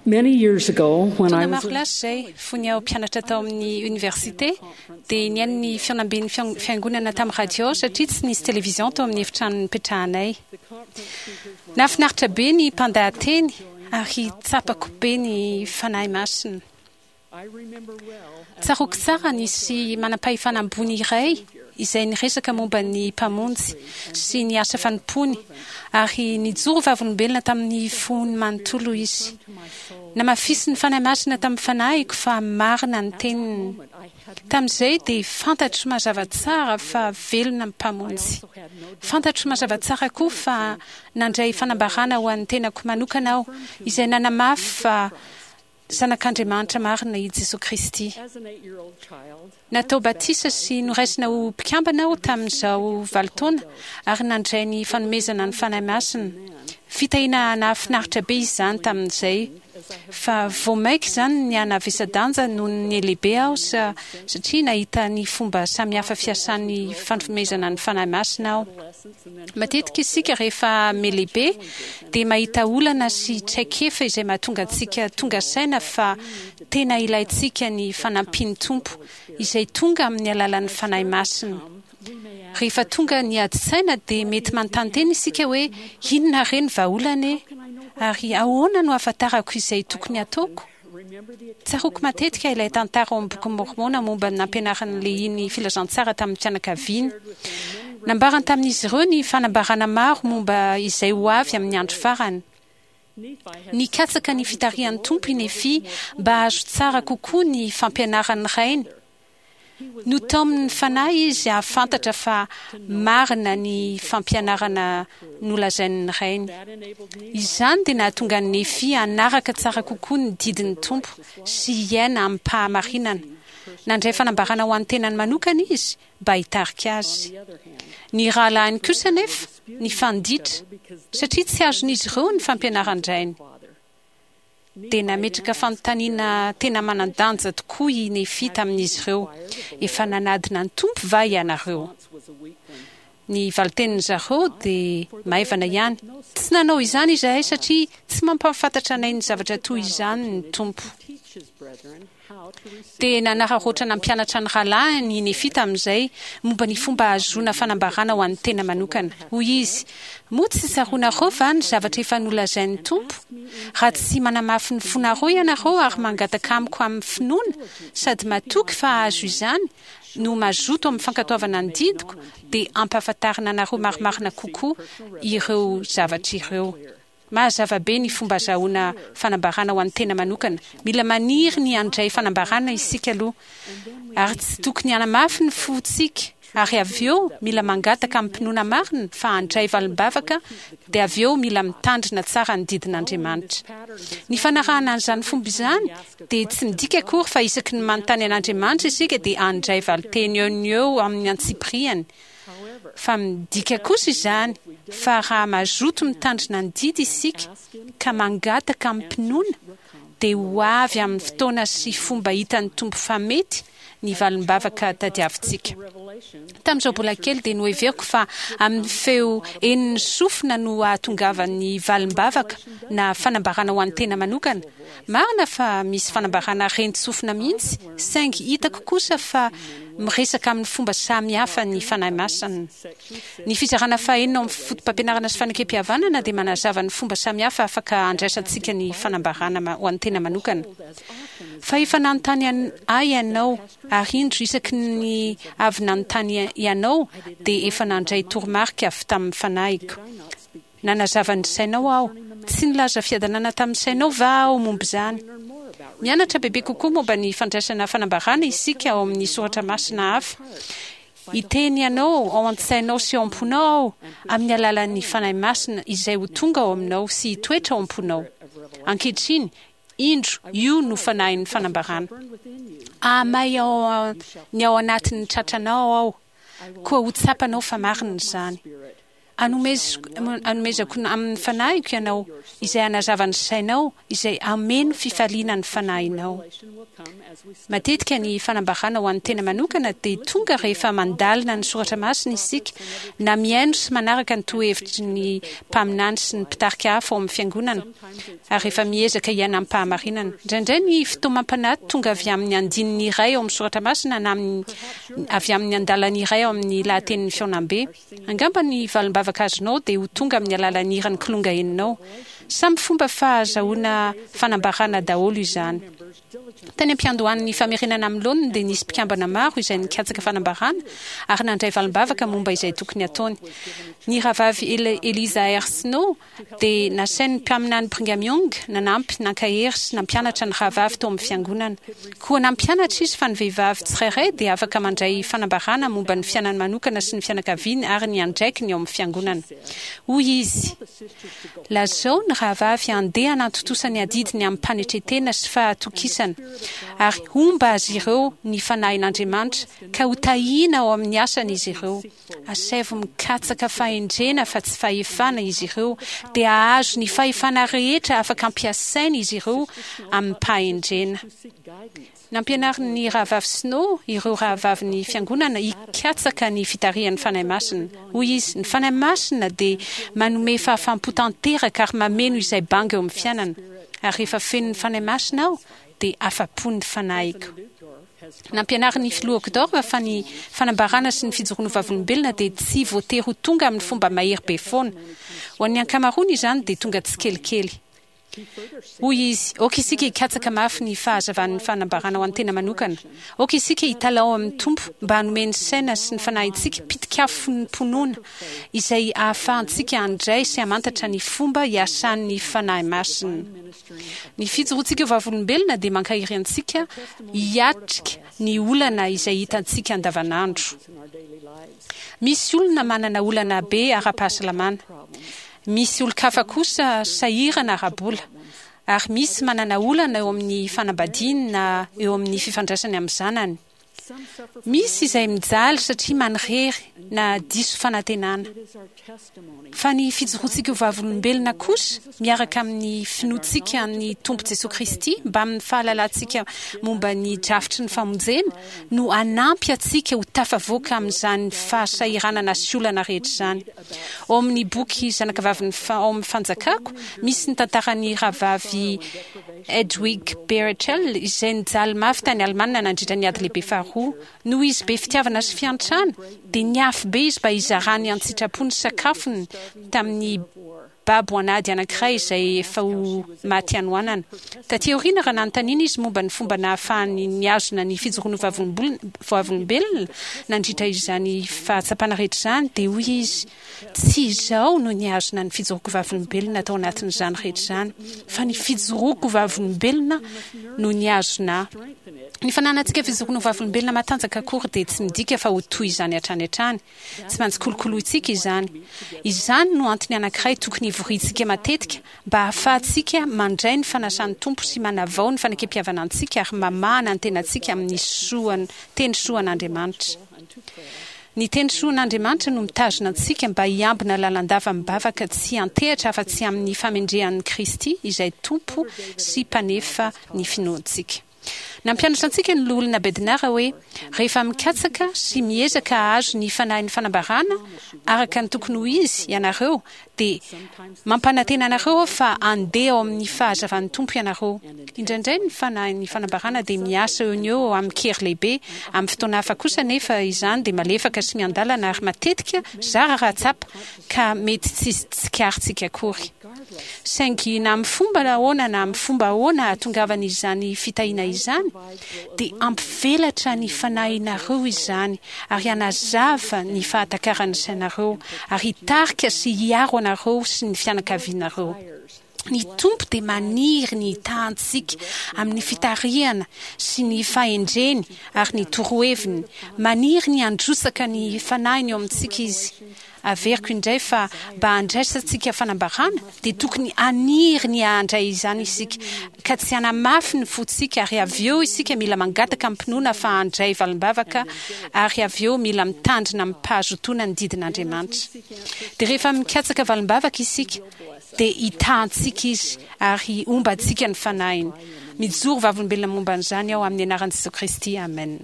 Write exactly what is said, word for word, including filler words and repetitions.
Many years ago, when Taona I was maro lasa izay, fony aho mpianatra tao amin'ny université, dia nihaino ny fihaonamben'ny fian- fiangonana tamin'ny radio satria tsy nisy télévision tao amin'ny efitrano nipetrahanay. Nahafinaritra be ny mpandahateny ary tsapako be ny Fanahy Masina. Tsaroako tsara nisy manam-pahefana ambony iray izay niresaka momba ny Mpamonjy sy ny asa fanompoany ary nijoro vavolombelona tamin'ny fony manontolo izy. Namafisin'ny Fanahy Masina tamin'ny fanahiko fa marina ny teniny. Tamin'izay dia fantatro mazava tsara fa velona ny Mpamonjy. Fantatro mazava tsara koa fa nandray fanambarana ho an'ny tenako manokana aho izay nanamafy fa Zanak'Andriamanitra marina i Jesoa Kristy. Natao batisa sy noraisina ho mpikambana aho tamin'izaho valo taona ary nandray ny fanomezana ny Fanahy Masina. Fitahiana nahafinaritra be izany tamin'izay. Fa vao mainka izany nihanavesa-danja noho ny lehibe aho satria nahita ny fomba samihafa fiasan'ny fanomezana ny Fanahy Masina aho. Matetika isika rehefa mihalehibe dia mahita olana sy traikefa izay mahatonga antsika tonga saina fa tena ilaintsika ny fanampian'ny Tompo izay tonga amin'ny alalan'ny Fanahy Masina. Rehefa tonga ny ady-tsaina dia mety manontany tena isika hoe inona re ny vahaolana e? Ary ahoana no ahafantarako izay tokony hataoko? Tsaroako matetika ilay tantara ao amin'ny Bokin'i Môrmôna momba ny nampianaran'i Lehia ny filazantsara tamin'ny fianakaviany. Nambarany tamin'izy ireo ny fanambarana maro momba izay ho avy amin'ny andro farany. Nikatsaka ny fitarihan'ny Tompo i Nefia mba hahazo tsara kokoa ny fampianaran'ny rainy. Notaomin'ny Fanahy izy hahafantatra fa marina ny fampianarana nolazain'ny rainy. Izany dia nahatonga an'i Nefia hanaraka tsara kokoa ny didin'ny Tompo sy hiaina amim-pahamarinana. Nandray fanambarana ho an'ny tenany manokana izy mba hitarika azy. Ny rahalahiny kosa anefa nifanditra satria tsy azon'izy ireo ny fampianaran-drainy. Dia nametraka fanontaniana tena manan-danja tokoa i Nefia tamin'izy ireo, Efa nanadina ny Tompo va ianareo? Ny valin-tenin-dry zareo dia maivana ihany, Tsy nanao izany izahay satria tsy mampahafantatra anay ny zavatra toy izany ny Tompo. Dia nanararaotra nampianatra ny rahalahiny i Nefia tamin'izay momba ny fomba hahazoana fanambarana ho an'ny tena manokana. Hoy izy, Moa tsy tsaroanareo va ny zavatra efa nolazain'ny Tompo? Raha tsy manamafy ny fonareo ianareo ary mangataka amiko amin'ny finoana sady matoky fa hahazo izany no mazoto amin'ny fankatoavana ny didiko, dia hampahafantarina anareo marimarina kokoa ireo zavatra ireo. Mazava be ny fomba azahoana fanambarana ho an'ny tena manokana. Mila maniry ny handray fanambarana isika aloha, ary tsy tokony hanamafy ny fontsika, ary avy eo mila mangataka amim-pinoana marina fa handray valim-bavaka, dia avy eo mila mitandrina tsara ny didin'Andriamanitra. Ny fanarahana an'izany fomba izany dia tsy midika akory fa isaky ny manontany an'Andriamanitra isika dia handray valinteny eo no eo amin'ny antsipiriany. Fa midika kosa izany fa raha mazoto mitandrina ny didy isika ka mangataka amim-pinoana dia ho avy amin'ny fotoana sy fomba hitan'ny Tompo fa mety ny valim-bavaka tadiavintsika. Tamin'izaho mbola kely dia noheveriko fa amin'ny feo henon'ny sofina no ahatongavan'ny valim-bavaka na fanambarana ho an'ny tena manokana. Marina fa misy fanambarana ren-tsofina mihitsy saingy hitako kosa fa miresaka amin'ny fomba samy hafa ny Fanahy Masina. Ny fizarana fahenina ao amin'ny Fotopampianarana sy Fanekempihavanana dia manazava ny fomba samy hafa afaka handraisantsika ny fanambarana ho an'ny tena manokana. Fa efa nanontany ahy ianao, ary indro isaky ny avy nanontany ianao dia efa nandray toromarika avy tamin'ny Fanahiko. Nanazava ny sainao aho. Tsy nilaza fiadanana tamin'ny sainao va aho momba izany? Mianatra bebe kokoa momba ny fandraisana fanambarana isika ao amin'ny soratra masina hafa. Hiteny anao ao an-tsainao sy ao am-ponao aho amin'ny alalan'ny Fanahy Masina izay ho tonga ao aminao sy hitoetra ao am-ponao. Ankehitriny, indro, io no Fanahin'ny fanambarana. Hahamay ao ny ao anatin'ny tratranao aho, koa ho tsapanao fa marina izany. Hanomezako amin'ny Fanahiko ianao, izay hanazava ny sainao, izay hameno fifaliana ny fanahinao. Matetika ny fanambarana ho an'ny tena manokana dia tonga rehefa mandalina ny soratra masina isika, na mihaino sy manaraka ny torohevitry ny mpaminany sy ny mpitarika hafa ao amin'ny Fiangonana, ary rehefa miezaka hiaina amim-pahamarinana. Indraindray ny fitaomam-panahy tonga avy amin'ny andininy iray ao amin'ny soratra masina na avy amin'ny andalana iray ao amin'ny lahatenin'ny fihaonambe. Angamba ny valim-bavaka azonao dia ho tonga amin'ny alalan'ny hiran'ny kilonga henonao. Samy fomba fahazahoana fanambarana daholo izany. Tany am-piandohan'ny famerenana amin'ny laoniny dia nisy mpikambana maro izay nikatsaka fanambarana ary nandray valim-bavaka momba izay tokony hataony. Ny Rahavavy Eliza R. Snow dia nasain'ny Mpaminany Brigham Young nanampy, nankahery sy nampianatra ny rahavavy tao amin'ny Fiangonana. Koa nampianatra izy fa ny vehivavy tsirairay dia afaka mandray fanambarana momba ny fiainany manokana sy ny fianakaviany ary ny andraikiny ao amin'ny Fiangonana. Hoy izy, Lazao ny rahavavy handeha hanantontosa ny adidiny amim-panetren-tena sy fahatokisana, ary homba azy ireo ny Fanahin'Andriamanitra, ka hotahiana ao amin'ny asany izy ireo. Asaivo mikatsaka fahendrena fa tsy fahefana izy ireo, dia hahazo ny fahefana rehetra afaka ampiasaina izy ireo amim-pahendrena. Nampianarin'ny Rahavavy Snow ireo rahavavin'ny Fiangonana hikatsaka ny fitarihan'ny Fanahy Masina. Hoy izy, Ny Fanahy Masina dia manome fahafaham-po tanteraka ary mameno izay banga eo amin'ny fiainana. Ary rehefa feno ny Fanahy Masina aho, dia afa-po ny fanahiko. Nampianarin'ny Filoha Uchtdorf fa ny fanambarana sy ny fijoroana ho vavolombelona dia tsy voatery ho tonga amin'ny fomba mahery be foana. Ho an'ny ankamaroany izany dia tonga tsikelikely. Hoy izy, Aoka isika hikatsaka mafy ny fahazavan'ny fanambarana ho an'ny tena manokana. Aoka isika hitalaho amin'ny Tompo mba hanome ny saina sy ny fanahintsika pitik'afom-pinoana izay ahafahantsika handray sy hamantatra ny fomba iasan'ny Fanahy Masina. Ny fijoroantsika ho vavolombelona dia mankahery antsika hiatrika ny olana izay hitantsika andavanandro. Misy olona manana olana be ara-pahasalamana. Misy olon-kafa kosa sahirana ara-bola. Ary misy manana olana eo amin'ny fanambadiany na eo amin'ny fifandraisany amin'ny zanany. Misy izay mijaly satria manirery na diso fanantenana. Fa ny fijoroantsika ho vavolombelona kosa, miaraka amin'ny finoantsika an'ny Tompo Jesoa Kristy mbamin'ny fahalalantsika momba ny drafitry ny famonjena, no hanampy antsika ho tafavoaka amin'izany fahasahiranana sy olana rehetra izany. Ao amin'ny boky Zanakavavin'ny ao amin'ny Fanjakako, misy ny tantaran'ny Rahavavy Hedwig Berchel izay nijaly mafy tany Alemana nandritra ny Ady Lehibe Faharoa. Noho izy be fitiavana sy fiantrana, dia niafy be izy mba hizarany an-tsitrapo ny sakafony tamin'ny babo an'ady anankiray izay efa ho maty hanoanana. Tatỳ aoriana, raha nanontaniana izy momba ny fomba nahafahany nihazona ny fijoroany ho vavolombelona nandritra izany fahatsapana rehetra izany, dia hoy izy, Tsy izaho no nihazona ny fijoroako vavolombelona tao anatin'izany rehetra izany, fa ny fijoroako vavolombelona no nihazona ahy. Ny fananantsika fijoroana ho vavolombelona matanjaka akory dia tsy midika fa ho toy izany hatrany hatrany. Tsy maintsy kolokolointsika izany. Izany no antony anankiray tokony hivoriantsika matetika mba hahafahantsika mandray ny fanasan'ny Tompo sy manavao ny fanekempihavanantsika ary mamahana ny tenantsika amin'ny soan teny soan'Andriamanitra. Ny teny soan'Andriamanitra no mitazona antsika mba hiambina lalandava amim-bavaka tsy hiantehatra afa-tsy amin'ny famendrehan'i Kristy izay Tompo sy Mpanefa ny finoantsika. Nampianatra antsika ny Loholona Bednar hoe, Rehefa mikatsaka sy miezaka hahazo ny fanahin'ny fanambarana araka ny tokony ho izy ianareo, dia mampanantena anareo aho fa handeha ao amin'ny fahazavan'ny Tompo ianareo. Indraindray ny fanahin'ny fanambarana dia miasa eo no eo amin-kery lehibe, amin'ny fotoana hafa kosa anefa izany dia malefaka sy miandalana ary matetika zara raha tsapa ka mety tsy tsikaritsika akory. Saingy na amin'ny fomba ahoana na amin'ny fomba ahoana ahatongavan'izany fitahiana izany, dia hampivelatra ny fanahinareo izany ary hanazava ny fahatakaran'ny sainareo ary hitarika sy hiaro anareo sy ny fianakavianareo. Ny Tompo dia maniry ny hitaha antsika amin'ny fitarihana sy ny fahendreny ary ny toroheviny. Maniry ny handrotsaka ny Fanahiny eo amintsika Izy. Averiko indray fa mba handraisantsika fanambarana dia tokony haniry ny handray izany isika, ka tsy hanamafy ny fontsika, ary avy eo isika mila mangataka amim-pinoana fa handray valim-bavaka, ary avy eo mila mitandrina amim-pahazotoana ny didin'Andriamanitra. Dia rehefa mikatsaka valim-bavaka isika, dia hitahantsika Izy ary homba antsika ny Fanahiny. Mijoro vavolombelona momba an'izany aho amin'ny anaran'i Jesoa Kristy, amen.